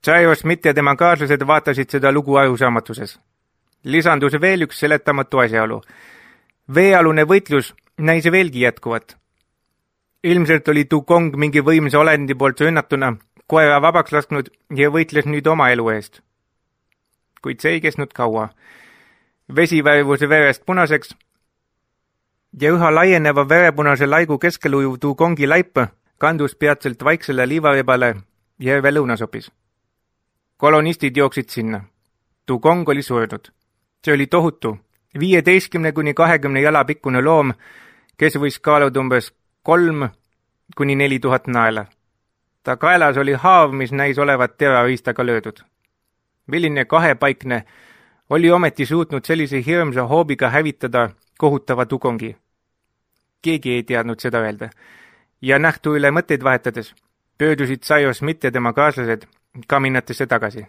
Cyrus Smith ja tema kaaslased vaatasid seda lugu arusaamatuses. Lisandus veel üks seletamatu asjaolu. Veealune võitlus näis veelgi jätkuvat. Ilmselt oli Dugong mingi võimsa olendi poolt rünnatuna koera vabaks lasknud ja võitles nüüd oma elu eest. Kuid see ei kestnud kaua. Vesi värvus verest punaseks ja üha laieneva verepunase laigu keskel ujuv Dugongi laip kandus peatselt vaiksele liivarebale järve lõunasopis. Kolonistid jooksid sinna. Dugong oli surnud. See oli tohutu, 15–20 jala pikkune loom, kes võis kaaluda umbes 3–4000 naela. Ta kaelas oli haav, mis näis olevat terariistaga löödud. Milline kahepaikne oli ometi suutnud sellise hirmsa hoobiga hävitada kohutava Dugongi. Keegi ei teadnud seda öelda. Ja nähtu üle mõtteid vahetades pöördusid Cyrus Smith ja tema kaaslased kaminatesse tagasi.